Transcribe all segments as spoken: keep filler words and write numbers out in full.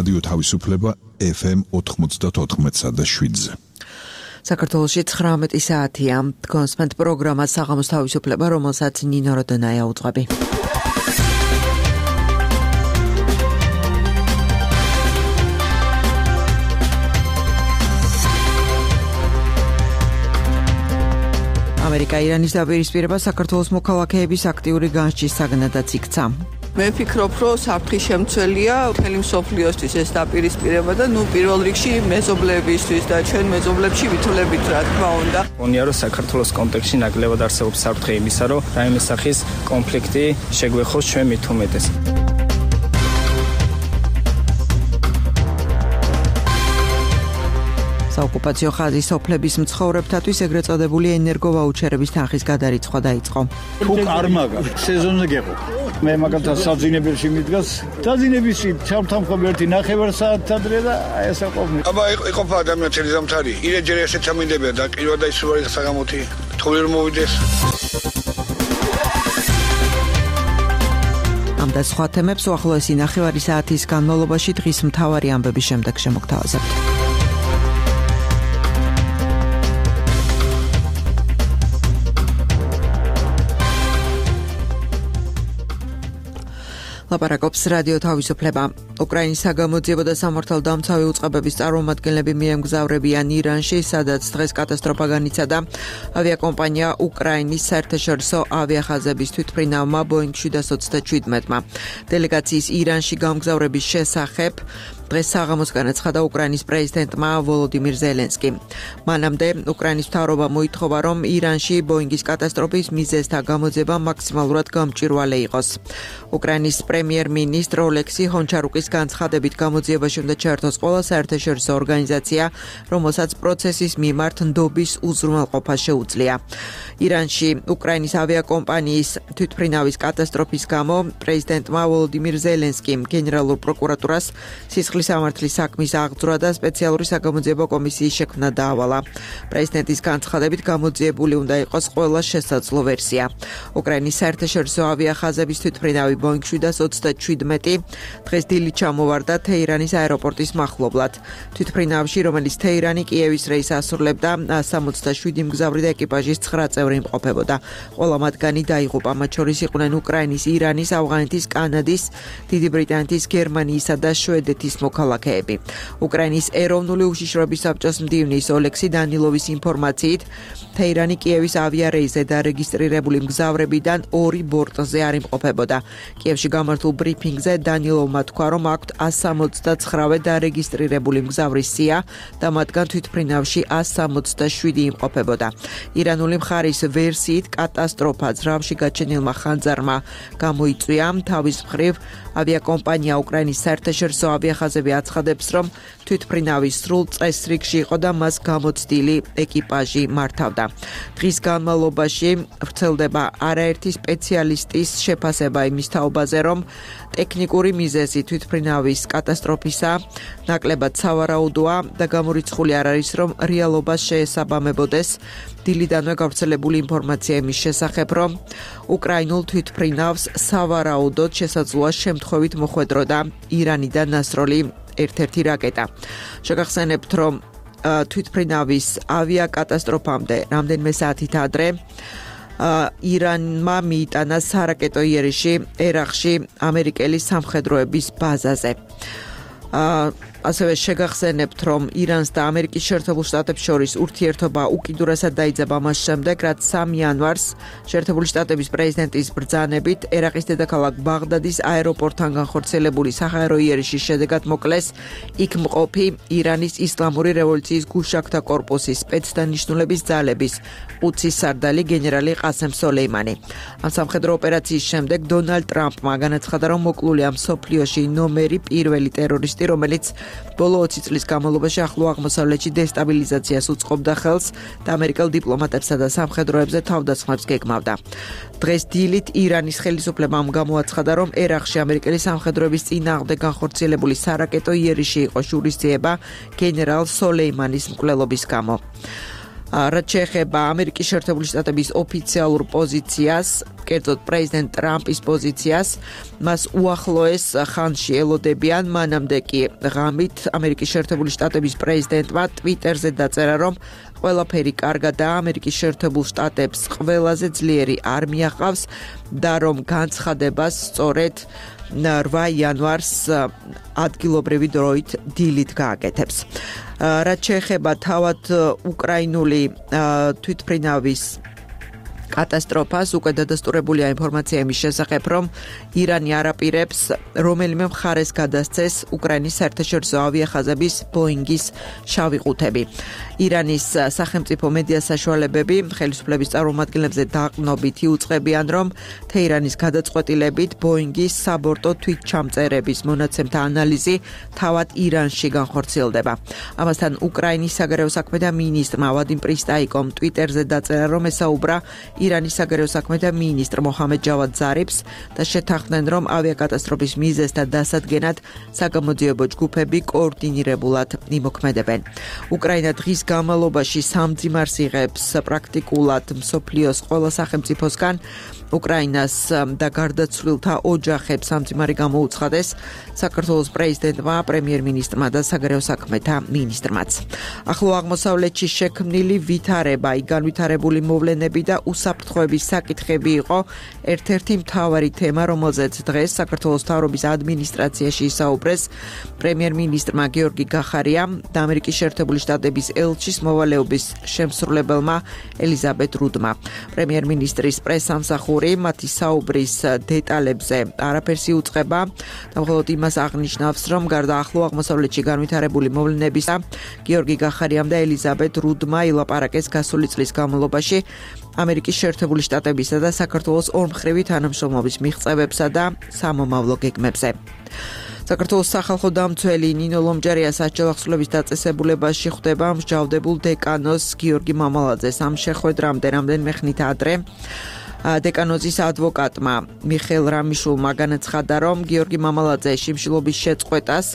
რადიო თავისუფლება ეფ ემ ოთხმოცდაოთხ და შვიდზე. საქართველოში ცხრამეტი საათია. კონსპენთ პროგრამა საღამოს თავისუფლება, რომელსაც ნინო როდონაია უძღვები. ამერიკა ირანის დაპირისპირება საქართველოს მოქალაქეების აქტიური განსჯის საგნადაც იქცა. მე ვფიქრობ, რომ საფრთხის შემცველია მთელი მსოფლიოსთვის ეს დაპირისპირება და ნუ პირველ რიგში მეზობლებისთვის და ჩვენ მეზობლებში ვითვლებით, რა თქმა უნდა. მგონია, რომ საქართველოს კონტექსტში ნაკლებად არსებობს საფრთხე იმისა, რომ რაიმე სახის კონფლიქტი შეგვეხოს ჩვენ მით უმეტეს. საოკუპაციო ხაზის სოფლების მცხოვრებთათვის ეგრეთ წოდებული ენერგოვაუჩერების თანხის გადარიცხვა დაიწყო. თუ კარმაგა სეზონზე გეყო. მე მაგალითად საძინებელში მიდგას, დაძინებისში ჩამთამხობ ერთი ნახევარ საათი ადრე და აი ეს აყოფნი. აბა იყოფა ადამიანს ელიზამთარი. ირე ჯერ ესეც ამინდებია და კილვა და ისუარი საგამოთი. თოვლი რომ მოვიდეს. ამ და სხვა თემებს უახლოესი ნახევარი საათის განმავლობაში დღის მთავარი ამბების შემდეგ შემოგთავაზებთ. ლაპარაკობს რადიო თავისუფლება. უკრაინის საგამოძიებო და სამართალდამცავი უწყებების წარმომადგენლები მიემგზავრებიან ირანში, სადაც დღეს კატასტროფა განიცადა. ავიაკომპანია უკრაინის საერთაშორისო ავიახაზების თვითმფრინავმა ბოინგ შვიდას ოცდაშვიდმა. დელეგაციის ირანში გამგზავრების შესახებ დღეს საღამოს განაცხადა უკრაინის პრეზიდენტმა ვოლოდიმირ ზელენსკიმ. მანამდე უკრაინის მთავრობა მოითხოვა, რომ ირანში ბოინგის კატასტროფის მიზეზთა გამოძება მაქსიმალურად გამჭვირვალე იყოს. უკრაინის პრემიერ-მინისტრ ოლექსი ჰონჩარუკის განცხადებით გამოძიებაში უნდა ჩაერთოს ყველა საერთაშორისო ორგანიზაცია, რომელსაც პროცესის მიმართ ნდობის უზრუნველყოფა შეუძლია. ირანში უკრაინის ავიაკომპანიის თვითმფრინავის კატასტროფის გამო პრეზიდენტმა ვოლოდიმირ ზელენსკიმ გენერალურ პროკურატურას სისხლის სამართლის საქმის აღძვრა და სპეციალური საგამოძიებო კომისიის შექმნა დაავალა. პრეზიდენტის განცხადებით გამოძიებული უნდა იყოს ყველა შესაძლო ვერსია. უკრაინის საერთაშორისო ავიახაზების თვითმფრინავი ბოინგ შვიდას ოცდაშვიდ დღეს დილით ჩამოვარდა თეირანის აეროპორტის მახლობლად. თვითმფრინავში, რომელიც თეირანი კიევის რეისს ასრულებდა, სამოცდაშვიდი მგზავრი და ეკიპაჟის ცხრა წევრი იმყოფებოდა. ყველა მათგანი დაიღუპა, მათ შორის იყვნენ უკრაინის, ირანის, ავღანეთის, კანადის, დიდი ბრიტანეთის, გერმანიისა და შვედეთის მოქალაქეები. უკრაინის ეროვნული უშიშროების საბჭოს მდივნის ოლექსი დანილოვის ინფორმაციით, თეირანი კიევის ავიარეისზე დარეგისტრირებული მგზავრებიდან ორი ბორტზე არ იმყოფებოდა. კიევში გამართულ ბრიფინგზე დანილოვმა თქვა, რომ აქვთ ას სამოცდაცხრა დარეგისტრირებული მგზავრის სია და მათგან თვითმფრინავში ას სამოცდაშვიდი იმყოფებოდა. ირანული მხარის ვერსიით კატასტროფა ძრავში გაჩენილმა ხანძარმა გამოიწვია. თავის მხრივ ავიაკომპანია უკრაინის საერთაშორისო ავიახაზები აცხადებს, რომ თვითმფრინავის სრულ წესრიგში იყო და მას გამოცდილი ეკიპაჟი მართავდა. დღის განმავლობაში ვრცელდება არაერთი სპეციალისტის შეფასება იმის თაობაზე, რომ ტექნიკური მიზეზი თვითმფრინავის კატასტროფისა ნაკლებად სავარაუდოა და გამორიცხული არ არის, რომ რეალობას შეესაბამებოდეს. დილიდანვე გავრცელებული ინფორმაცია იმის შესახებ, რომ უკრაინულ თვითმფრინავს სავარაუდოდ შესაძლოა შემთხვევით მოხვედროდა ირანიდან დასროლი ერთ-ერთი რაკეტა. შეგახსენებთ, რომ თვითმფრინავის ავიაკატასტროფამდე რამდენიმე საათით ადრე ირანმა მიიტანა სარაკეტო იერიში ერაყში ამერიკელი სამხედროების ბაზაზე. ასევე შეგახსენებთ, რომ ირანს და ამერიკის შეერთებულ შტატებს შორის ურთიერთობა უკიდურესად დაიძაბა მას შემდეგ, რაც სამი იანვარს შეერთებული შტატების პრეზიდენტის ბრძანებით ერაყის დედაქალაქ ბაღდადის აეროპორტთან განხორციელებული საჰაერო იერიშის შედეგად მოკლეს იქ მყოფი ირანის ისლამური რევოლუციის გუშაქთა კორპუსის სპეცდანიშნულების ძალების ყუდსის სარდალი გენერალი ყასემ სოლეიმანი. ამ სამხედრო ოპერაციის შემდეგ დონალდ ტრამპმა განაცხადა, რომ მოკლულია მსოფლიოში ნომერი პირველი ტერორისტი, რომელიც ბოლო ოცი წლის განმავლობაში ახლო აღმოსავლეთში დესტაბილიზაციას უწყობდა ხელს და ამერიკელ დიპლომატებსა და სამხედროებზე თავდასხმებს გეგმავდა. დღეს დილით ირანის ხელისუფლებამ გამოაცხადა, რომ ერაყში ამერიკელი სამხედროების წინააღმდეგ განხორციელებული სარაკეტო იერიში იყო შურისძიება გენერალ სოლეიმანის მკვლელობის გამო. რაც შეეხება ამერიკის შეერთებული შტატების ოფიციალურ პოზიციას, კერძოდ პრეზიდენტ ტრამპის პოზიციას, მას უახლოეს ხანში ელოდებიან, მანამდე კი ღამით ამერიკის შეერთებული შტატების პრეზიდენტმა ტვიტერზე დაწერა, რომ ყველაფერი კარგადაა, ამერიკის შეერთებულ შტატებს ყველაზე ძლიერი არმია ყავს და რომ განცხადებას სწორედ რვა იანვარს ადგილობრივი დროით დილით გააკეთებს. რაც შეეხება თავად უკრაინული თვითმფრინავის კატასტროფას, უკვე დადასტურებულია ინფორმაცია იმის შესახებ, რომ ირანი არაპირებს რომელიმე მხარეს გადასცეს უკრაინის საერთაშორისო ავიახაზების ბოინგის შავი ყუთები. ირანის სახელმწიფო მედია საშუალებები ხელისუფლების წარმომადგენლებზე დაყრდნობით იუწყებიან, რომ თეირანის გადაწყვეტილებით ბოინგის საბორტო თვითჩამწერების მონაცემთა ანალიზი თავად ირანში განხორციელდება. ამასთან უკრაინის საგარეო საქმეთა მინისტრმა ვადიმ პრისტაიკომ ტვიტერზე დაწერა, რომ ესაუბრა ირანის საგარეო საქმეთა მინისტრ მოჰამედ ჯავად ზარიფს და შეთანხმდნენ, რომ ავიაკატასტროფის მიზეზთა დასადგენად საგამოძიებო ჯგუფები კოორდინირებულად იმოქმედებენ. უკრაინა დღის განმავლობაში სამძიმარს იღებს პრაქტიკულად მსოფლიოს ყველა სახელმწიფოსგან. უკრაინას და გარდაცვლილთა ოჯახებს სამძიმარი გამოუცხადეს საქართველოს პრეზიდენტმა, პრემიერ-მინისტრმა და საგარეო საქმეთა მინისტრმაც. ახლო აღმოსავლეთში შექმნილი ვითარება, განვითარებული მოვლენები და უსაფრთხოების საკითხები იყო ერთ-ერთი მთავარი თემა, რომელზეც დღეს საქართველოს მთავრობის ადმინისტრაციაში ისაუბრეს პრემიერ-მინისტრმა გიორგი გახარიამ და ამერიკის შეერთებული შტატების ელჩის მოვალეობის შემსრულებელმა ელიზაბეთ რუდმა. პრემიერ-მინისტრის პრესამსახური მათი საუბრის დეტალებზე არაფერს იუწყება და მხოლოდ იმას აღნიშნავს, რომ გარდა ახლო აღმოსავლეთში განვითარებული მოვლენებისა, გიორგი გახარიამ და ელიზაბეთ რუდმა ილაპარაკეს გასული წლის განმავლობაში ამერიკის შეერთებული შტატებისა და საქართველოს ორმხრივი თანამშრომლობის მიღწევებსა და სამომავლო გეგმებზე. საქართველოს სახალხო დამცველი ნინო ლომჯარია სასჯელახსოვრების დაწესებულებაში ხვდება მსჯავრდებულ დეკანოს გიორგი მამალაძეს. ამ შეხვედრამდე რამდენიმე ხნით ადრე დეკანოზის ადვოკატმა მიხეილ რამიშულმა განაცხადა, რომ გიორგი მამალაძე შიმშილობის შეწყვეტას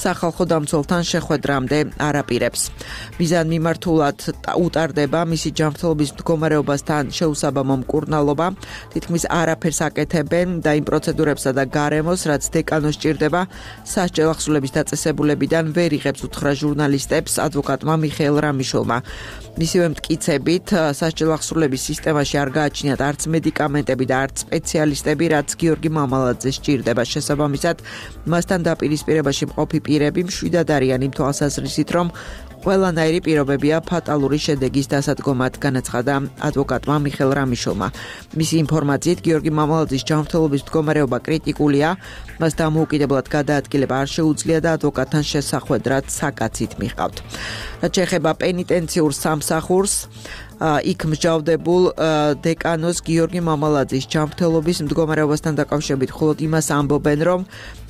სახალხო დამცველთან შეხვედრამდე არაპირებს. მიზანმიმართულად უტარდება მისი ჯანმრთელობის მდგომარეობასთან შეუსაბამო მკურნალობა, თითქმის არაფერს აკეთებენ და იმ პროცედურებსა და გარემოს, რაც დეკანოს სჭირდება სასჯელახსოვრების დაწესებულებიდან ვერ იღებს უთხრა ჟურნალისტებს ადვოკატმა მიხეილ რამიშულმა. მისივე მტკიცებით სასჯელახსოვრების სისტემაში არ გააჩნიათ არც მედიკამენტები და არც სპეციალისტები, რაც გიორგი მამალაძეს სჭირდება. შესაბამისად, მასთან დაპირისპირებაში მყოფი პირები მშვიდად არიან იმ თვალსაზრისით, რომ ყველანაირი პირობებია ფატალური შედეგის დასადგომად, განაცხადა ადვოკატმა მიხეილ რამიშულმა. მისი ინფორმაციით, გიორგი მამალაძის ჯანმრთელობის მდგომარეობა კრიტიკულია, მას დამოუკიდებლად გადაადგილება არ შეუძლია და ადვოკატთან შესახვედრად საკაცით მიჰყავთ. რაც შეეხება პენიტენციურ სამსახურს, იქ მსჯავრდებულ დეკანოს გიორგი მამალაძის ჯანმრთელობის მდგომარეობასთან დაკავშირებით მხოლოდ იმას ამბობენ, რომ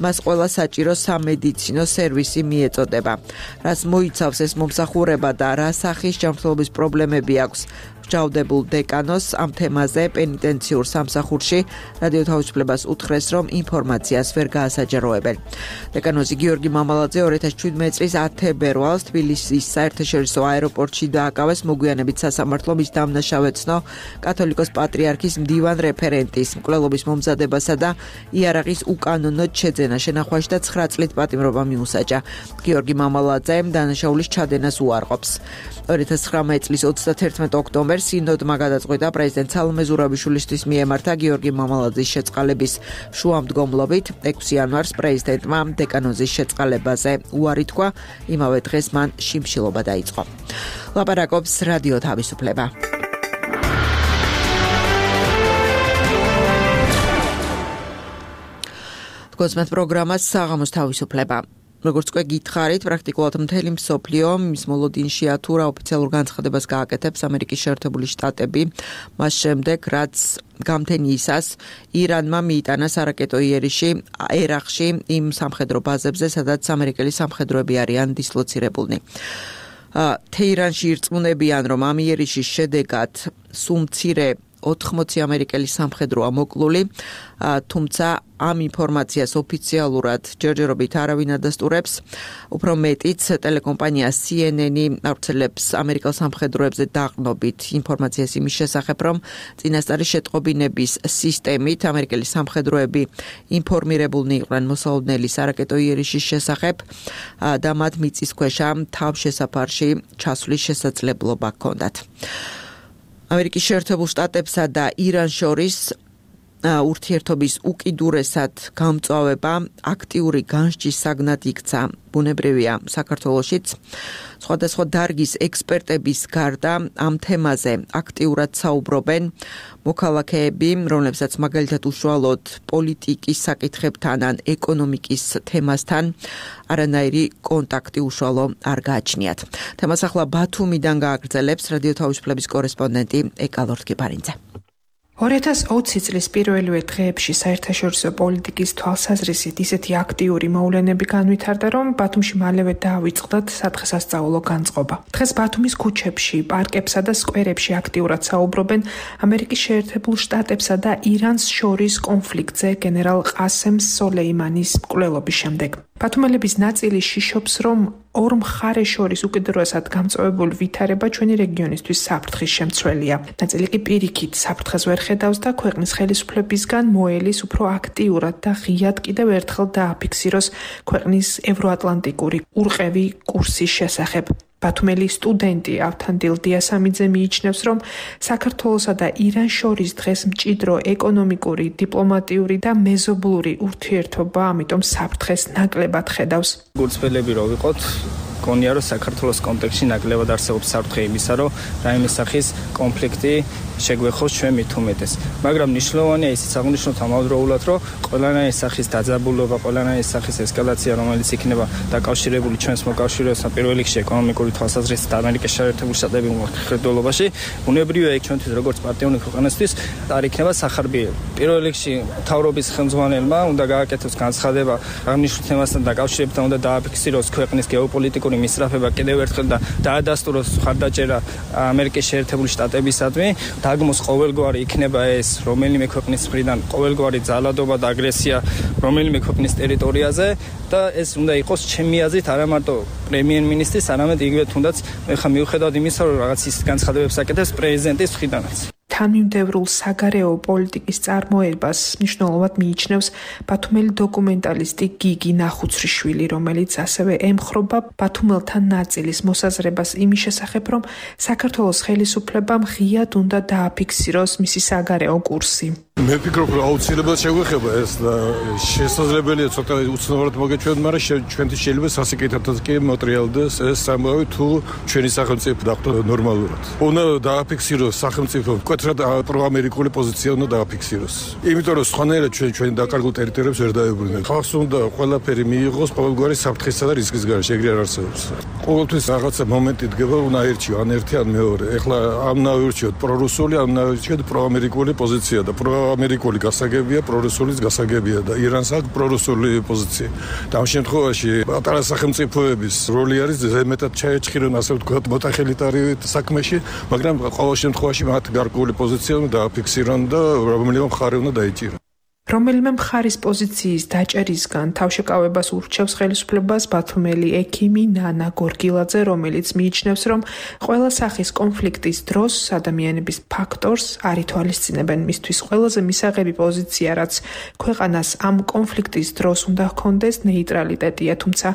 მას ყველა საჭირო სამედიცინო სერვისი მიეწოდება. რაც მოიცავს ეს მომსახურება და რა სახის ჯანმრთელობის პრობლემები აქვს მსჯავრდებულ დეკანოს, ამ თემაზე პენიტენციურ სამსახურში რადიო თავისუფლებას უთხრეს, რომ ინფორმაციას ვერ გაასაჯაროებენ. დეკანოზი გიორგი მამალაძე ორი ათას შვიდმეტი წლის ათი თებერვალს თბილისის საერთაშორისო აეროპორტში დააკავეს მოგვიანებით სასამართლო მის დამნაშავეცნო კათოლიკოს პატრიარქის მდივან რეფერენტის მკვლელობის მომზადებასა და იარაღის უკანონოდ შეძენა შენახვაში და ცხრა წლით პატიმრობა მიუსაჯა. გიორგი მამალაძემ დანაშაულის ჩადენას უარყოფს. ორი ათას ცხრამეტი წლის ოცდაათერთმეტ ოქტომბერს სინოდმა გადაწყვიტა პრეზიდენტ სალომე ზურაბიშვილისთვის მიემართა გიორგი მამალაძის შეწყალების შუამდგომლობით. ექვსი იანვარს პრეზიდენტმა დეკანოზის შეწყალებაზე უარი თქვა, იმავე დღეს მან შიმშილობა დაიწყო. ლაპარაკობს რადიო თავისუფლება. გოსმეთ პროგრამას საღამოს თავისუფლება. როგორც უკვე გითხარით, პრაქტიკულად მთელი მსოფლიო მის მოლოდინშია თუ რა ოფიციალურ განცხადებას გააკეთებს ამერიკის შეერთებული შტატები, მას შემდეგ, რაც გამთენიისას ირანმა მიიტანა სარაკეტო იერიში ერახში იმ სამხედრო ბაზებზე, სადაც ამერიკელი სამხედროები არიან დისლოცირებულნი. თეირანში ირწმუნებიან, რომ ამ იერიშის შედეგად სულ მცირე ოთხმოცი ამერიკელი სამხედროა მოკლული, თუმცა ამ ინფორმაციას ოფიციალურად ჯერჯერობით არავინ ადასტურებს. Უფრო მეტიც ტელეკომპანია C N N-ი ავრცელებს ამერიკელ სამხედროებზე დაყრდნობით ინფორმაციას იმის შესახებ, რომ წინასწარი შეტყობინების სისტემით ამერიკელი სამხედროები ინფორმირებულნი იყვნენ მოსალოდნელი სარაკეტო იერიშის შესახებ და მათ მიწისქვეშა თავშესაფარში ჩასვლის შესაძლებლობა ჰქონდათ. ამერიკის შეერთებულ შტატებსა და ირანს შორის ურთიერთობის უკიდურესად გამწვავება აქტიური განსჯის საგნად იქცა. ბუნებრივია საქართველოშიც სხვადასხვა დარგის ექსპერტების გარდა ამ თემაზე აქტიურად საუბრობენ მოქალაქეები, რომლებსაც მაგალითად უშუალოდ პოლიტიკის საკითხებთან ან ეკონომიკის თემასთან არანაირი კონტაქტი უშუალო არ გააჩნიათ. თემას ახლა ბათუმიდან გააგრძელებს რადიო თავისუფლების კორესპონდენტი ეკალორთ გიფარინძე. ორი ათას ოცი წლის პირველივე დღეებში საერთაშორისო პოლიტიკის თვალსაზრისით ისეთი აქტიური მოვლენები განვითარდა, რომ ბათუმში მალევე დაავიწყდათ სადღესასწაულო განწყობა. დღეს ბათუმის ქუჩებში, პარკებსა და სკვერებში აქტიურად საუბრობენ ამერიკის შეერთებულ შტატებსა და ირანს შორის კონფლიქტზე გენერალ ყასემ სოლეიმანის მკვლელობის შემდეგ. ბათუმელების ნაწილი შიშობს, რომ ორ მხარეს შორის უკიდურესად გამწვავებული ვითარება ჩვენი რეგიონისთვის საფრთხის შემცველია. ნაწილი კი პირიქით საფრთხეს ვერ ხედავს და ქვეყნის ხელისუფლებისგან მოელის უფრო აქტიურად და ღიად კიდევ ერთხელ დააფიქსიროს ქვეყნის ევროატლანტიკური ურყევი კურსის შესახებ. ბათუმელი სტუდენტი ავთანდილ დიასამიძე მიიჩნევს, რომ საქართველოსა და ირანს შორის დღეს მჭიდრო ეკონომიკური, დიპლომატიური და მეზობლური ურთიერთობა, ამიტომ საფრთხეს ნაკლებად ხედავს. გულწრფელები რო ვიყოთ, გონია რომ საქართველოს კონტექსტში ნაკლებად არსებობს საფრთხე იმისა, რომ რაიმე სახის კონფლიქტი შეგვეხოს ჩვენ მით უმეტეს. მაგრამ მნიშვნელოვანია ისიც აღნიშნოთ ამავდროულად, რომ ყველანაირი სახის დაძაბულობა, ყველანაირი სახის ესკალაცია, რომელიც იქნება დაკავშირებული ჩვენს მოკავშირეებთან, პირველ რიგში ეკონომიკური თვალსაზრისით ამერიკის შეერთებულ შტატების მხედველობაში, ბუნებრივია იქ ჩვენთვის როგორც პარტიული ქვეყნისთვის არ იქნება სახარბიელი. პირველ რიგში მთავრობის ხელმძღვანელმა უნდა გააკეთოს განცხადება აღნიშნულ თემასთან დაკავშირებთან, უნდა დააფიქსიროს ქვეყნის გეოპოლიტიკური მისწრაფება კიდევ ერთხელ და დაადასტუროს მხარდაჭერა ამერიკის შეერთებული შტატებისადმი. დაგმოს ყოველგვარი იქნება ეს რომელიმე ქვეყნის მხრიდან ყოველგვარი ძალადობა და აგრესია რომელიმე ქვეყნის ტერიტორიაზე და ეს უნდა იყოს ჩემი აზრით არა მარტო პრემიერ-მინისტრის, არამედ იგივე თუნდაც მე ხა მიუხედავად იმისა, რომ რაღაც ის განცხადებებს აკეთებს პრეზიდენტის მხრიდანაც. თანმიმდევრულ საგარეო პოლიტიკის წარმოებას მნიშვნელოვნად მიიჩნევს ბათუმელი დოკუმენტალისტი გიგი ნახუცრიშვილი, რომელიც ასევე ემხრობა ბათუმელთა ნაწილის მოსაზრებას იმის შესახებ, რომ საქართველოს ხელისუფლებამ ღიად უნდა დააფიქსიროს მისი საგარეო კურსი. მე ვფიქრობ, რომ აუცილებლად შეგვეხება ეს და შესაძლებელია ცოტა უცნაურად მოგეჩვენოთ, მაგრამ ჩვენთვის შეიძლება სასიკეთებლად კი მოტრიალდეს ეს ამბავი თუ ჩვენი სახელმწიფო დახვდა ნორმალურად. უნდა დააფიქსიროს სახელმწიფო მკვეთრად პროამერიკული პოზიცია უნდა დააფიქსიროს. იმიტომ რომ სხვანაირად ჩვენ ჩვენი დაკარგულ ტერიტორიებს ვერ დაებრუნებთ. ხალხს უნდა ყველაფერი მიიღოს ყოველგვარი საფრთხისა და რისკის გარშე, ეგრე არ არსებობს. ყოველთვის რაღაცა მომენტი დგება, უნდა აერჩიო ან ერთი ან მეორე. ეხლა ამ ნავირჩიოთ პრორუსული, ამ ნავირჩიოთ პროამერიკული პოზიცია და პროამერიკული გასაგებია, პრორუსულის გასაგებია და ირანს აქვს პრორუსული პოზიცია. და ამ შემთხვევაში პატარა სახელმწიფოების როლი არის ზემეთად ჩაეჭხირონ, ასე ვთქვათ, მოტახელიტარი საქმეში, მაგრამ ყოველ შემთხვევაში მათ გარკვეული პოზიცია უნდა დააფიქსირონ და რომელიმე მხარე უნდა დაიჭირონ. რომელიმე მხარის პოზიციის დაჭერისგან თავშეკავებას ურჩევს ხელისუფლებას ბათუმელი ექიმი ნანა გორგილაძე, რომელიც მიიჩნევს, რომ ყველა სახის კონფლიქტის დროს ადამიანების ფაქტორს არ ითვალისწინებენ. მისთვის ყველაზე მისაღები პოზიცია, რაც ქვეყანას ამ კონფლიქტის დროს უნდა ჰქონდეს, ნეიტრალიტეტია, თუმცა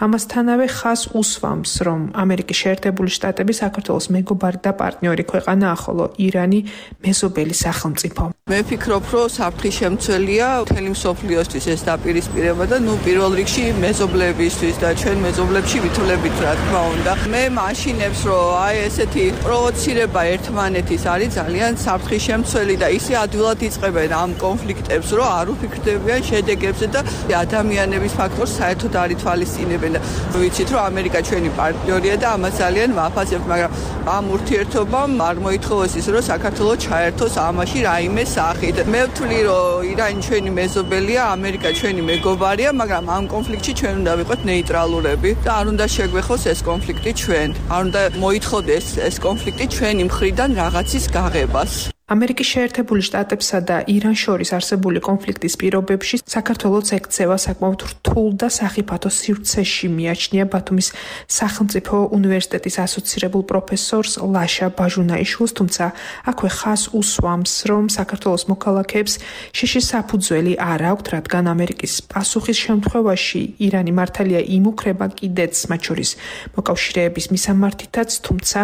ამასთანავე ხაზს უსვამს, რომ ამერიკის შეერთებული შტატები საქართველოს მეგობარი და პარტნიორი ქვეყანაა, ხოლო ირანი მეზობელი სახელმწიფო. მე ვფიქრობ, რომ საფრთხის შემცველია მთელი მსოფლიოსთვის ეს დაპირისპირება და ნუ პირველ რიგში მეზობლებისთვის და ჩვენ მეზობლებში ვითვლებით, რა თქმა უნდა. მე მაშინებს, რომ აი ესეთი პროვოცირება ერთმანეთის არის ძალიან საფრთხის შემცველი და ისე ადვილად იწყებენ ამ კონფლიქტებს, რომ არ უფიქრდებიან შედეგებზე და ადამიანების ფაქტორს საერთოდ არ ითვალისწინებენ. ვიცით, რომ ამერიკა ჩვენი პარტნიორია და ამას ძალიან ვაფასებთ, მაგრამ ამ ურთიერთობამ არ მოითხოვეს ის, რომ საქართველოს ჩაერთოს ამაში რაიმე სახით. მე ვთვლი, რომ ირანი ჩვენი მეზობელია, ამერიკა ჩვენი მეგობარია, მაგრამ ამ კონფლიქტში ჩვენ უნდა ვიყოთ ნეიტრალურები და არ უნდა შეგვეხოს ეს კონფლიქტი ჩვენ. არ უნდა მოითხოვდეს ეს კონფლიქტი ჩვენი მხრიდან რაღაცის გაღებას. ამერიკის შეერთებული შტატებსა და ირანს შორის არსებული კონფლიქტის პირობებში საქართველოს ექცევა საკმაოდ რთულ და სახიფათო სივრცეში მიაჩნია ბათუმის სახელმწიფო უნივერსიტეტის ასოცირებულ პროფესორს ლაშა ბაჟუნაიშვილს, თუმცა აქვე ხას უსვამს, რომ საქართველოს მოქალაქეებს შიშის საფუძველი არ აქვთ, რადგან ამერიკის პასუხის შემთხვევაში ირანი მართალია იმუქრება კიდეც მათ შორის მოკავშირეების მისამართითაც, თუმცა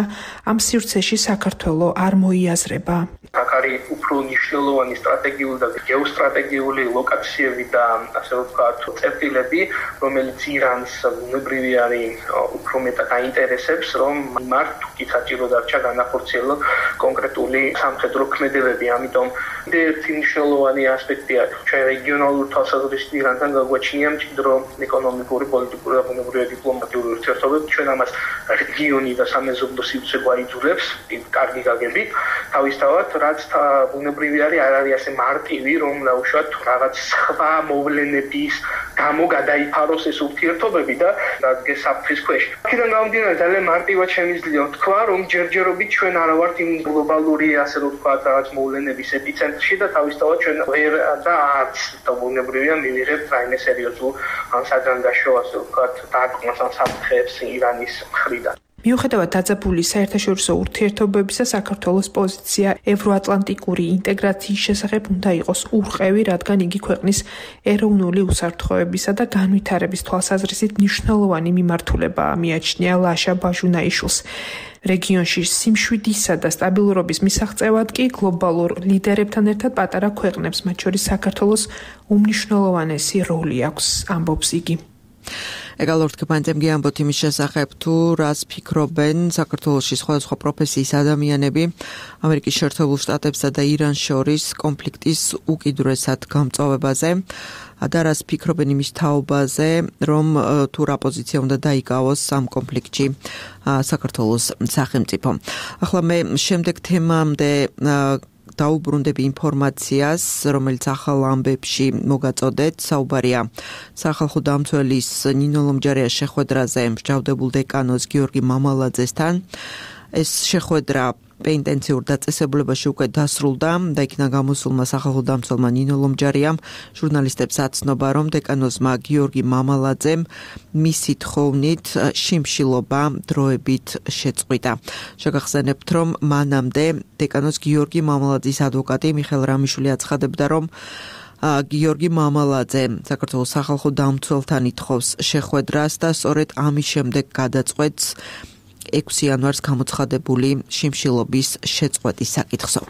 ამ სივრცეში საქართველო არ მოიაზრება. აქ არის უფრო მნიშვნელოვანი სტრატეგიული და გეოსტრატეგიული ლოკაციები და ასე ვთქვათ წერტილები, რომელიც ირანს ბუნებრივი არის უფრო მეტად აინტერესებს, რომ მათ თუკი საჭირო დარჩა განახორციელონ კონკრეტული სამხედრო ქმედებები. ამიტომ ერთი მნიშვნელოვანი ასპექტია ჩვენ რეგიონალურ თვალსაზრისით ირანთან გაგვაჩნია მჭიდრო ეკონომიკური, პოლიტიკური და ბუნებრივი დიპლომატიური ურთიერთობები. ჩვენ ამას რეგიონი და სამეზობლო სივრცე გვაიძულებს კარგი გაგებით. თავისთავად რაც ბუნებრივი არის არ არის ასე მარტივი, რომ ნაუშვათ რაღაც სხვა მოვლენების გამო გადაიფაროს ეს ურთიერთობები და დადგეს საფრთხის ქვეშ. აქედან გამომდინარე ძალიან მარტივად შემიძლია თქვა, რომ ჯერჯერობით ჩვენ არ ვართ იმ გლობალური ასე ვთქვათ რაღაც მოვლენების ეპიცენტრში და თავისთავად ჩვენ ვერ და არც ბუნებრივია მივიღებთ რაიმე სერიოზულ საჯანდაშო ასე ვთქვათ დარტყმას ან საფრთხეებს ირანის მხრიდან. მიუხედავად დაძაბული საერთაშორისო ურთიერთობებისა, საქართველოს პოზიცია ევროატლანტიკური ინტეგრაციის შესახებ უნდა იყოს ურყევი, რადგან იგი ქვეყნის ეროვნული უსაფრთხოებისა და განვითარების თვალსაზრისით მნიშვნელოვანი მიმართულება მიაჩნია ლაშა ბაჟუნაიშვილს. რეგიონში სიმშვიდისა და სტაბილურობის მისაღწევად კი გლობალურ ლიდერებთან ერთად პატარა ქვეყნებს, მათ შორის საქართველოს უმნიშვნელოვანესი როლი აქვს, ამბობს იგი. ეгалორთქებანძემ გიამბოთ იმის შესახებ, თუ რას ფიქრობენ საქართველოში სხვადასხვა პროფესიის ადამიანები ამერიკის შეერთებულ შტატებსა და ირანს შორის კონფლიქტის უკიდურესად გამწვავებაზე და რას ფიქრობენ იმის თაობაზე, რომ თუ რა პოზიცია უნდა დაიკავოს ამ კონფლიქტში საქართველოს სახელმწიფო. ახლა მე შემდეგ თემამდე დაუბრუნდები ინფორმაციას, რომელიც ახალ ამბებში მოგაწოდეთ. საუბარია სახალხო დამცველის ნინო ლომჯარიას შეხვედრაზე მსჯავრდებულ დეკანოს გიორგი მამალაძესთან. ეს შეხვედრა პეინტენციურ დაწესებულებაში უკვე დასრულდა და იქნა გამოსულმა სახალხო დამცველმა ნინო ლომჯარიამ ჟურნალისტებს აცნობა, რომ დეკანოზმა გიორგი მამალაძემ მისი თხოვნით შიმშილობა დროებით შეწყვიტა. შეგახსენებთ, რომ მანამდე დეკანოს გიორგი მამალაძის ადვოკატი მიხეილ რამიშვილი აცხადებდა, რომ გიორგი მამალაძე საქართველოს სახალხო დამცველთან ითხოვს შეხვედრას და სწორედ ამის შემდეგ გადაწყვეტს ექვსი იანვარს გამოცხადებული შიმშილობის შეწყვეტის საკითხზე.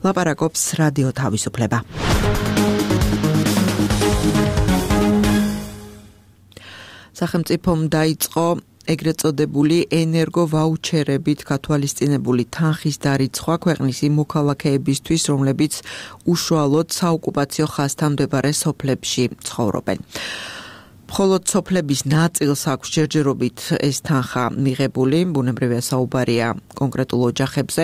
ლაპარაკობს რადიო თავისუფლება. სახელმწიფომ დაიწყო ეგრეთ წოდებული ენერგო ვაუჩერებით გათვალისწინებული თანხის დარიცხვა ქვეყნის იმ მოქალაქეებისთვის, რომლებიც უშუალოდ საოკუპაციო ხაზთან მდებარე სოფლებში ცხოვრობენ. მხოლოდ სოფლების ნაწილს აქვს ჯერჯერობით ეს თანხა მიღებული, ბუნებრივია საუბარია კონკრეტულ ოჯახებზე.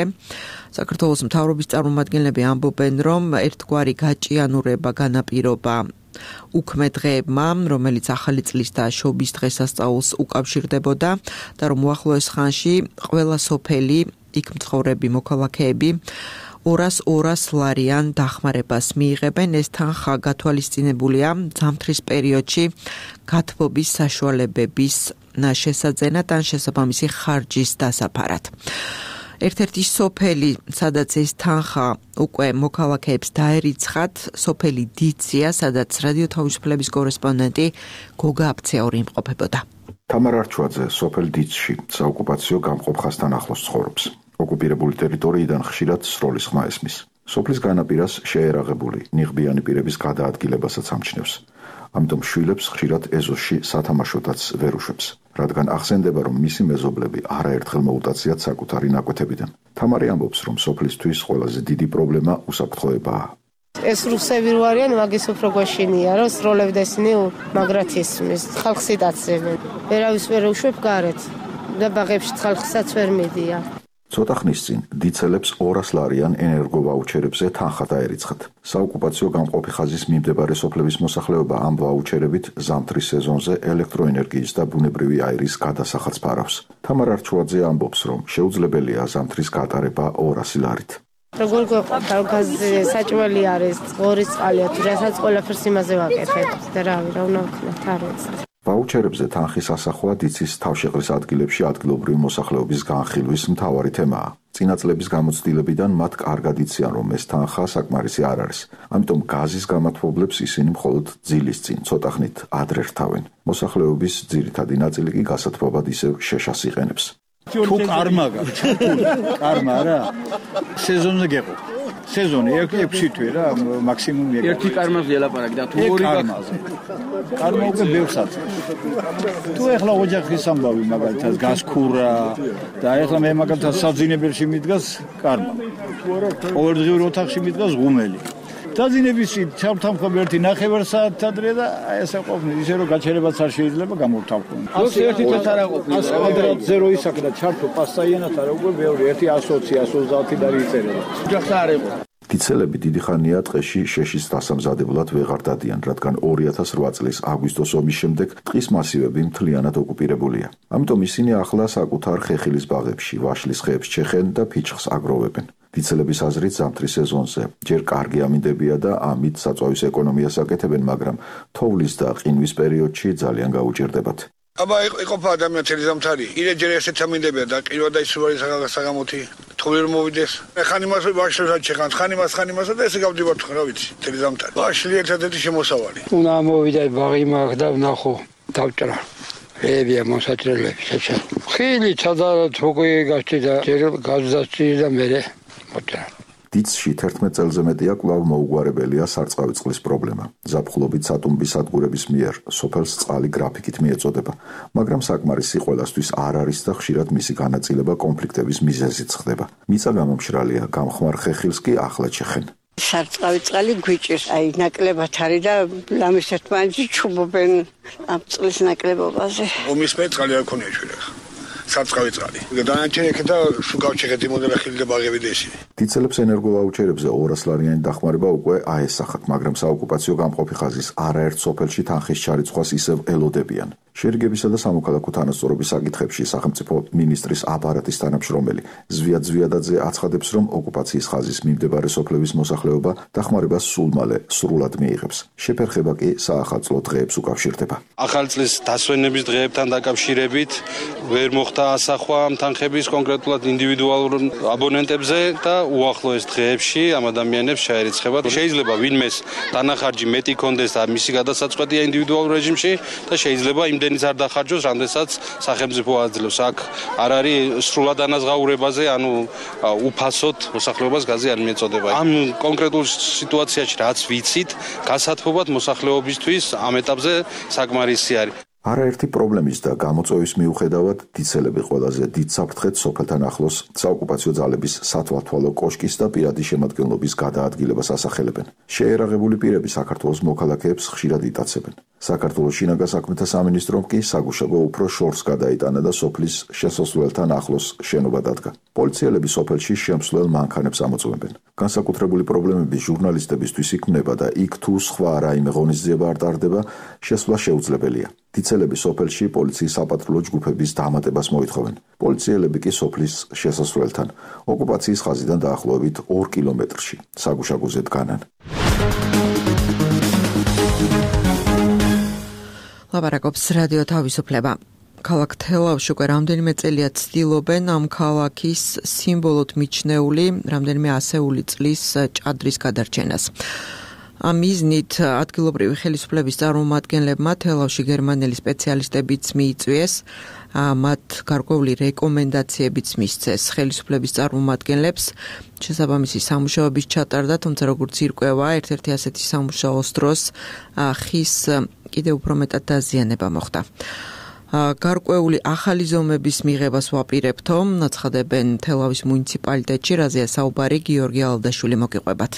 საქართველოს მთავრობის წარმომადგენლები ამბობენ, რომ ერთგვარი გაჭიანურება განაპირობა უქმე დღეებმა, რომელიც ახალი წლის და შობის დღესასწაულს უკავშირდებოდა და რომ უახლოეს ხანში ყველა სოფელი, იქ მცხოვრები მოქალაქეები ორას ორას ლარიან დახმარებას მიიღებენ. ეს თანხა გათვალისწინებულია ზამთრის პერიოდში გათბობის საშუალებების შესაძენად ან შესაბამისი ხარჯის დასაფარად. ერთ-ერთი სოფელი, სადაც ეს თანხა უკვე მოქალაქეებს დაერიცხათ, სოფელი დიცია, სადაც რადიო თავისუფლების კორესპონდენტი გოგა აფცეორი იმყოფებოდა. თამარ არჩვაძე სოფელ დიცში საოკუპაციო გამყოფ ხაზთან ახლოს ცხოვრობს. ოკუპირებული ტერიტორიიდან ხშირად სროლის ხმა ესმის. სოფლის განაპირას შეერაღებული ნიღბიანი პირების გადაადგილებასაც ამჩნევს. ამიტომ შვილებს ხშირად ეზოში სათამაშოდაც ვერ უშვებს, რადგან ახსენდება, რომ მისი მეზობლები არაერთხელ მოუტაციათ საკუთარი ნაკვეთებიდან. თამარი ამბობს, რომ სოფლისთვის ყველაზე დიდი პრობლემა უსაფრთხოებაა. ეს რუსები რო არიან, მაგის უფრო გვაშინია, რომ სროლებდესნი მაგრად ისმის, ხალხს იდაცებენ. ვერავის ვერ უშვებ გარეთ და ბაღებში ხალხსაც ვერ მიდია. ცოტა ხნის წინ დიცელებს ორას ლარიან ენერგო ვაუჩერებზე თანხა დაერიცხათ. საოკუპაციო გამყოფი ხაზის მიმდებარე სოფლების მოსახლეობა ამ ვაუჩერებით ზამთრის სეზონზე ელექტროენერგიის და ბუნებრივი აირის გადასახადს ფარავს. თამარ არჩვაძე ამბობს, რომ შეუძლებელია ზამთრის გატარება ორასი ლარით. როგორ გვეყვარდა გაზი საჭმელი არის, ღორის წყალია, თუ რასაც ყველაფერს იმაზე ვაკეთებ და რავი, რა უნდა ვქნათ, არ ვიცი. ვაუჩერებზე თანხის ასახვა დიცის თავშეყრის ადგილებში ადგილობრივი მოსახლეობის განხილვის მთავარი თემაა. წინა წლების გამოცდილებიდან მათ კარგად იციან, რომ ეს თანხა საკმარისი არ არის. ამიტომ გაზის გამათბობლებს ისინი მხოლოდ ძილის წინ ცოტა ხნით ადრე რთავენ. მოსახლეობის ძირითადი ნაწილი კი გასათბობად ისევ შეშას იყენებს. თუ კარმა გაქვს, კარმა რა. სეზონზე გეყო. სეზონი ექვსი თვე რა, მაქსიმუმ ეგ. ერთი კარმაზე ელაპარაკი და თუ ორი კარმაზე. კარმა უკვე ბევრს აწევს. თუ ეხლა ოჯახის ამბავი მაგალითად გასქურა და ეხლა მე მაგალითად საძინებელში მიდგას კარმა. ყოველდღიურ ოთახში მიდგას ღუმელი. დაძინებისი ჩავთამხები ერთი ნახევარ საათი ადრე და აი ესე ყოფნა ისე რომ გაჩერებაც არ შეიძლება გამოვთამხო. ასე ერთი წელს არ აყოფნა. ასე კვადრატ ზერო ისაკ და ჩართო პასტაიანად არა უკვე ბევრი ერთი ათი ათი ოცდაათი და იწერება. ოჯახს არ იყო. დიცელები დიდი ხანია ტყეში შეშის დასამზადებლად ვეღარ დადიან, რადგან ორი ათას ორი წლის აგვისტოს ომის შემდეგ ტყის მასივები მთლიანად ოკუპირებულია. ამიტომ ისინი ახლა საკუთარ ხეხილის ბაღებში, ვაშლის ხეებს ჩეხენ და ფიჭხს აგროვებენ. დიცელების აზრით ზამთრის სეზონზე ჯერ კარგი ამინდებია და ამით საწვავის ეკონომიას აკეთებენ, მაგრამ თოვლის და ყინვის პერიოდში ძალიან გაუჭირდებათ. აბა იყოფა ადამიანები ზამთარი, ირე ჯერ ესეც ამინდებია და ყირვა და ისუარი საგამოთი თოვლი რომ მოვიდეს. ხან იმას ვაშლად შეხან, ხან იმას, ხან იმასა და ესე გავდივართ რა ვიცი, თელი ზამთარი. ვაშლი ერთადერთი შემოსავალი. უნდა მოვიდა ბაღი მაგ და ვნახო დავჭრა. ებია მოსაჭრელები შეჭა. ხილი ჩადა თოქი გასჭი და ჯერ გაზდასჭი და მერე მოჭრა. დიცში თერთმეტ წელზე მეტია კვლავ მოუგვარებელია სარწყავი წყლის პრობლემა. ზაფხულობით სატუმბის სადგურების მიერ სოფელს წყალი გრაფიკით მიეწოდება, მაგრამ საკმარისი ყველასთვის არ არის და ხშირად მისი განაწილება კონფლიქტების მიზეზიც ხდება. მიწა გამომშრალია, გამხმარ ხეხილს კი ახლად შეხენ. სარწყავი წყალი გვიჭირს, აი ნაკლებად არის და ლამის ერთმანეთში ჩუბობენ ამ წყლის ნაკლებობაზე. ომის მე წყალი არ ქონია შეიძლება. სარწყავი წყალი. დანარჩენი ეკეთა სულ გავჩეხეთ იმოდელა ხილი და ბაღები და ისინი. დიცელებს ენერგოვაუჩერებზე ორას ლარიანი დახმარება უკვე აესახათ, მაგრამ საოკუპაციო გამყოფი ხაზის არაერთ სოფელში თანხის ჩარიცხვას ისევ ელოდებიან. შერიგებისა და სამოქალაქო თანასწორობის საკითხებში სახელმწიფო მინისტრის აპარატის თანამშრომელი ზვია ზვიადაძე აცხადებს, რომ ოკუპაციის ხაზის მიმდებარე სოფლების მოსახლეობა დახმარებას სულ მალე სრულად მიიღებს. შეფერხება კი საახალწლო დღეებს უკავშირდება. ახალი წლის დასვენების დღეებთან დაკავშირებით ვერ მოხდა ასახვა ამ თანხების კონკრეტულად ინდივიდუალურ აბონენტებზე და უახლოეს დღეებში ამ ადამიანებს შეერიცხება. შეიძლება ვინმეს დანახარჯი მეტი კონდეს და მისი გადასაწყვეტია ინდივიდუალურ რეჟიმში და შეიძლება იმდენიც არ დახარჯოს, რამდენსაც სახელმწიფო აძლევს. აქ არ არის სრულად ანაზღაურებაზე, ანუ უფასოდ მოსახლეობას გაზი არ მიეწოდება. ამ კონკრეტულ სიტუაციაში რაც ვიცით, გასათბობად მოსახლეობისთვის ამ ეტაპზე საკმარისი არის. არაერთი პრობლემის და გამოწვევის მიუხედავად დიცელები ყველაზე დიდ საფრთხედ სოფელთან ახლოს საოკუპაციო ძალების სათვალთვალო კოშკის და პირადი შემადგენლობის გადაადგილებას ასახელებენ. შეერაღებული პირები საქართველოს მოქალაქეებს ხშირად იტაცებენ. საქართველოს შინაგან საქმეთა სამინისტრომ კი საგუშაგო უფრო შორს გადაიტანა და სოფლის შესასვლელთან ახლოს შენობა დადგა. პოლიციელები სოფელში შემსვლელ მანქანებს ამოწმებენ. განსაკუთრებული პრობლემები ჟურნალისტებისთვის იქმნება და იქ თუ სხვა რაიმე ღონისძიება არ ტარდება, შესვლა შეუძლებელია. დიცელები სოფელში პოლიციის საპატრულო ჯგუფების დამატებას მოითხოვენ. პოლიციელები კი სოფლის შესასვლელთან ოკუპაციის ხაზიდან დაახლოებით ორ კილომეტრში საგუშაგოზე დგანან. ლაპარაკობს რადიო თავისუფლება. ქალაქ თელავში უკვე რამდენიმე წელია ცდილობენ ამ ქალაქის სიმბოლოდ მიჩნეული რამდენიმე ასეული წლის ჭადრის გადარჩენას. ამ მიზნით ადგილობრივი ხელისუფლების წარმომადგენლებმა თელავში გერმანელი სპეციალისტებიც მიიწვიეს, მათ გარკვეული რეკომენდაციებიც მისცეს ხელისუფლების წარმომადგენლებს. შესაბამისი სამუშაოების ჩატარდა, თუმცა როგორც ირკვევა, ერთ-ერთი ასეთი სამუშაოს დროს ხის კიდევ უფრო მეტად დაზიანება მოხდა. გარკვეული ახალი ზომების მიღებას ვაპირებთო, აცხადებენ თელავის მუნიციპალიტეტში, რაზეა საუბარი გიორგი ალდაშვილი მოგიყვებათ.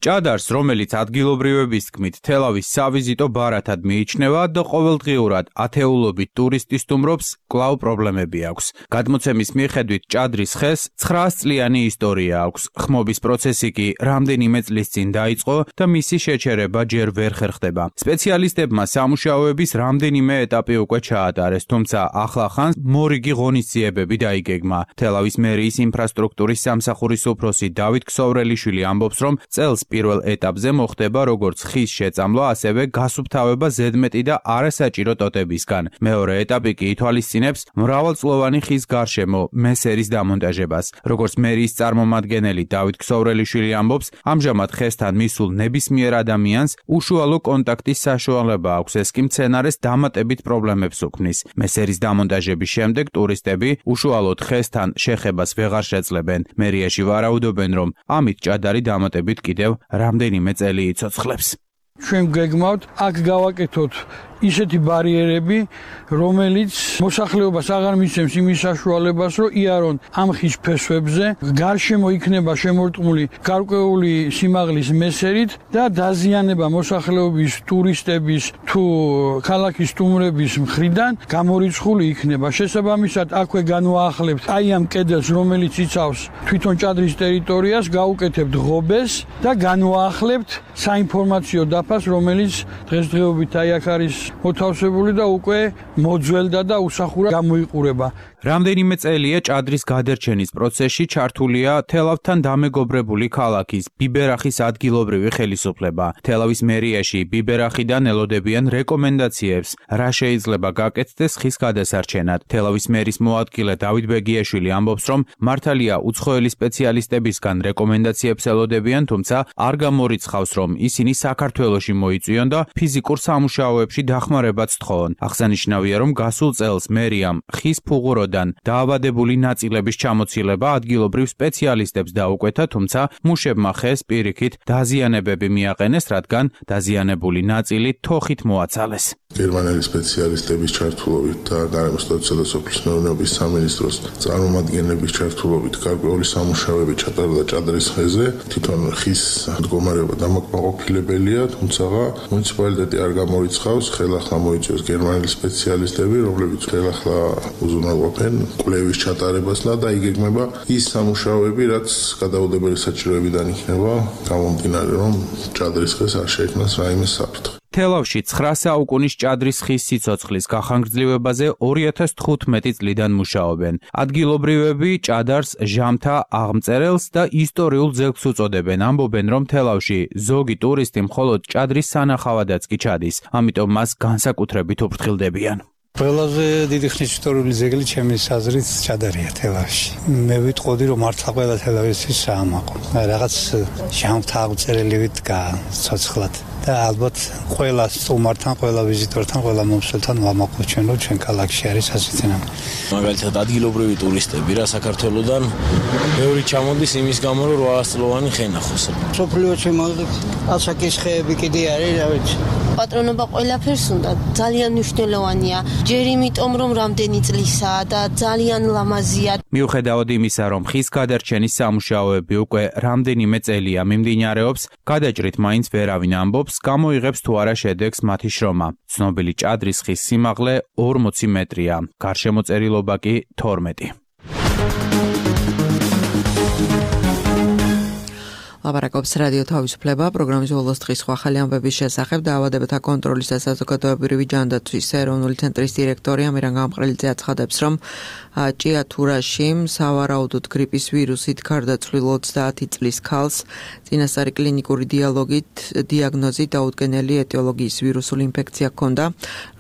ჭადარს, რომელიც ადგილობრივების თქმით თელავის savizito ბარათად მიიჩნევა და ყოველდღიურად ათეულობით ტურისტი სტუმრობს, კვლავ პრობლემები აქვს. გადმოცემის მიხედვით ჭადრის ხეს ცხრაას წლიანი ისტორია აქვს. ხმობის პროცესი კი რამდენიმე წლის წინ დაიწყო და მისი შეჩერება ჯერ ვერ ხერხდება. სპეციალისტებმა სამუშაოების რამდენიმე ეტაპი უკვე ჩაატარეს, თუმცა ახლახანს მორიგი ღონისძიებები დაიგეგმა. თელავის მერიის ინფრასტრუქტურის სამსახურის უფროსი დავით ქსოვრელიშვილი ამბობს, რომ წელს პირველ ეტაპზე მოხდება როგორც ხის შეწამლა, ასევე გასუფთავება ზედმეტი და არასაჭირო ტოტებისგან. მეორე ეტაპი კი ითვალისწინებს მრავალწლოვანი ხის გარშემო მესერის დამონტაჟებას. როგორც მერიის წარმომადგენელი დავით ქსოვრელიშვილი ამბობს, ამჟამად ხესთან მისულ ნებისმიერ ადამიანს უშუალო კონტაქტის საშუალება აქვს, ეს კი მცენარეს დამატებით პრობლემებს უქმნის. მესერის დამონტაჟების შემდეგ ტურისტები უშუალოდ ხესთან შეხებას ვეღარ შეძლებენ. მერიაში ვარაუდობენ, რომ ამით ჭადარი დამატებით კიდევ რამდენიმე წელი იცოცხლებს. ჩვენ გეგმავთ აქ გავაკეთოთ ისეთი ბარიერები, რომელიც მოსახლეობას აღარ მისცემს იმის საშუალებას, რომ იარონ ამ ხის ფესვებზე, გარშემო იქნება შემორტყმული გარკვეული სიმაღლის მესერით და დაზიანება მოსახლეობის, ტურისტების თუ ქალაქის სტუმრების მხრიდან გამორიცხული იქნება. შესაბამისად, აქვე განვაახლებთ აი ამ კედელს, რომელიც იცავს თვითონ ჭადრის ტერიტორიას, გავუკეთებთ ღობეს და განვაახლებთ საინფორმაციო დაფას, რომელიც დღესდღეობით აი აქ არის მოთავსებული და უკვე მოძველდა და უსახურა გამოიყურება. რამდენიმე წელია ჭადრის გადერჩენის პროცესში ჩართულია თელავთან დამეგობრებული ქალაქის ბიბერახის ადგილობრივი ხელისუფლება. თელავის მერიაში ბიბერახიდან ელოდებიან რეკომენდაციებს, რა შეიძლება გაკეთდეს ხის გადასარჩენად. თელავის მერის მოადგილე დავით ბეგიაშვილი ამბობს, რომ მართალია უცხოელი სპეციალისტებისგან რეკომენდაციებს ელოდებიან, თუმცა არ გამორიცხავს, რომ ისინი საქართველოში მოიწვიონ და ფიზიკურ სამუშაოებში დახმარებაც თხოვონ. აღსანიშნავია, რომ გასულ წელს მერიამ ხის ფუღუროდან დაავადებული ნაწილების ჩამოცილება ადგილობრივ სპეციალისტებს დაუკვეთა, თუმცა მუშებმა ხეს პირიქით დაზიანებები მიაყენეს, რადგან დაზიანებული ნაწილი თოხით მოაცალეს. გერმანელი სპეციალისტების ჩართულობით და გარემოსტაცია და სოფლის მეურნეობის სამინისტროს წარმომადგენლების ჩართულობით გარკვეული სამუშაოები ჩატარდა ჭადრის ხეზე. თვითონ ხის მდგომარეობა დამაკმაყოფილებელია, თუმცა მუნიციპალიტეტი არ გამორიცხავს, ხელახლა მოიწვიოს გერმანელი სპეციალისტები, რომლებიც ხელახლა უზრუნველყოფენ კვლევის ჩატარებას და დაიგეგმება ის სამუშაოები, რაც გადაუდებელი საჭიროებიდან იქნება, გამომდინარე, რომ ჭადრის ხეს არ შეექმნას რაიმე საფრთხე. თელავში ცხრა საუკუნის ჭადრის ხის სიცოცხლის გახანგრძლივებაზე ორი ათას თხუთმეტი წლიდან მუშაობენ. ადგილობრივები ჭადარს ჟამთა აღმწერელს და ისტორიულ ძეგლს უწოდებენ. ამბობენ, რომ თელავში ზოგი ტურისტი მხოლოდ ჭადრის სანახავადაც კი ჩადის, ამიტომ მას განსაკუთრებით უფრთხილდებიან. ყველაზე დიდი ხნის ისტორიული ძეგლი ჩემი აზრით ჭადარია თელავში. მე ვიტყოდი, რომ მართლა ყველა თელავისთვის საამაყო. რაღაც ჟამთა აღწერელი ვიდგა ცოცხლად. და ალბათ ყველა სტუმართან, ყველა ვიზიტორთან, ყველა მომსვლელთან ვამაყობ ჩვენ, რომ ჩვენ ქალაქში არის ასეთი ნამ. მაგალითად ადგილობრივი ტურისტები რა საქართველოდან ბევრი ჩამოდის იმის გამო, რომ რვაას წლოვანი ხე ნახოს. სოფლიოში მოვიდეთ, ასაკის ხეები კიდე არის, რა ვიცი. პატრონობა ყველაფერს უნდა, ძალიან მნიშვნელოვანია. ჯერ იმიტომ, რომ რამდენი წლისაა და ძალიან ლამაზია. მიუხედავად იმისა, რომ ხის გადარჩენის სამუშაოები უკვე რამდენიმე წელია მიმდინარეობს, გადაჭრით მაინც ვერავინ ამბობს, გამოიღებს თუ არა შედეგს მათი შრომა. ცნობილი ჭადრის ხის სიმაღლე ორმოცი მეტრია, გარშემოწერილობა კი თორმეტი. ლაპარაკობს რადიო თავისუფლება, პროგრამის ბოლოს დღის სხვა ახალი ამბების შესახებ დაავადებათა კონტროლის და საზოგადოებრივი ჯანდაცვის ეროვნული ცენტრის დირექტორი ამირან გამყრელიძე აცხადებს, რომ ჭიათურაში სავარაუდოდ გრიპის ვირუსით გარდაცვლილ ოცდაათი წლის ქალს წინასწარი კლინიკური დიალოგით დიაგნოზით დაუდგენელი ეტიოლოგიის ვირუსული ინფექცია ჰქონდა.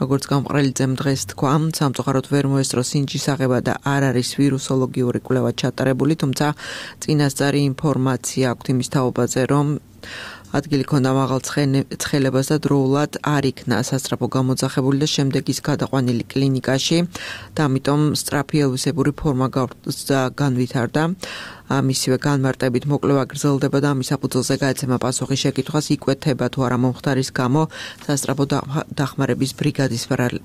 როგორც გამყრელიძემ დღეს თქვა, სამწუხაროდ ვერ მოესწრო სინჯის აღება და არ არის ვირუსოლოგიური კვლევა ჩატარებული, თუმცა წინასწარი ინფორმაცია აქვთ იმის თაობაზე, რომ ადგილი ქონდა მაღალ ცხელებას და დროულად არ იქნა სასწრაფო გამოძახებული და შემდეგ ის გადაყვანილი კლინიკაში და ამიტომ სწრაფი ელვისებური ფორმა განვითარდა. მისივე განმარტებით მოკლევა გრძელდება და ამის საფუძველზე გაეცემა პასუხი შეკითხვას იკვეთება თუ არა მომხდარის გამო სასწრაფო დახმარების ბრიგადის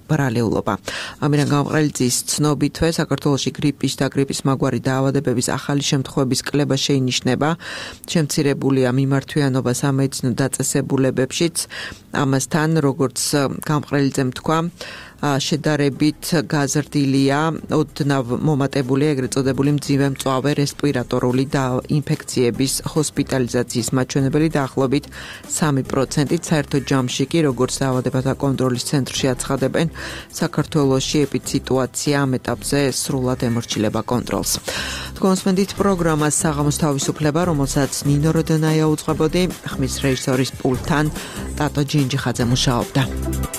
ბრალეულობა. ამირან გამყრელიძის ცნობითვე საქართველოში გრიპის და გრიპის მაგვარი დაავადებების ახალი შემთხვევების კლება შეინიშნება. შემცირებულია მიმართვიანობა სამედიცინო დაწესებულებებშიც. ამასთან, როგორც გამყრელიძემ თქვა, შედარებით გაზრდილია ოდნავ მომატებული ეგრეთ წოდებული მძიმე მწვავე რესპირატორული და ინფექციების ჰოსპიტალიზაციის მაჩვენებელი დაახლოებით სამი პროცენტით. საერთო ჯამში კი, როგორც დაავადებათა კონტროლის ცენტრში აცხადებენ, საქართველოში ეპიდსიტუაცია ამ ეტაპზე სრულად ემორჩილება კონტროლს. თქვენსმენდით პროგრამას საღამოს თავისუფლება, რომელსაც ნინო როდონაია უძღვებოდი, ხმის რეჟისორის პულტთან ტატო ჯინჯიხაძე მუშაობდა.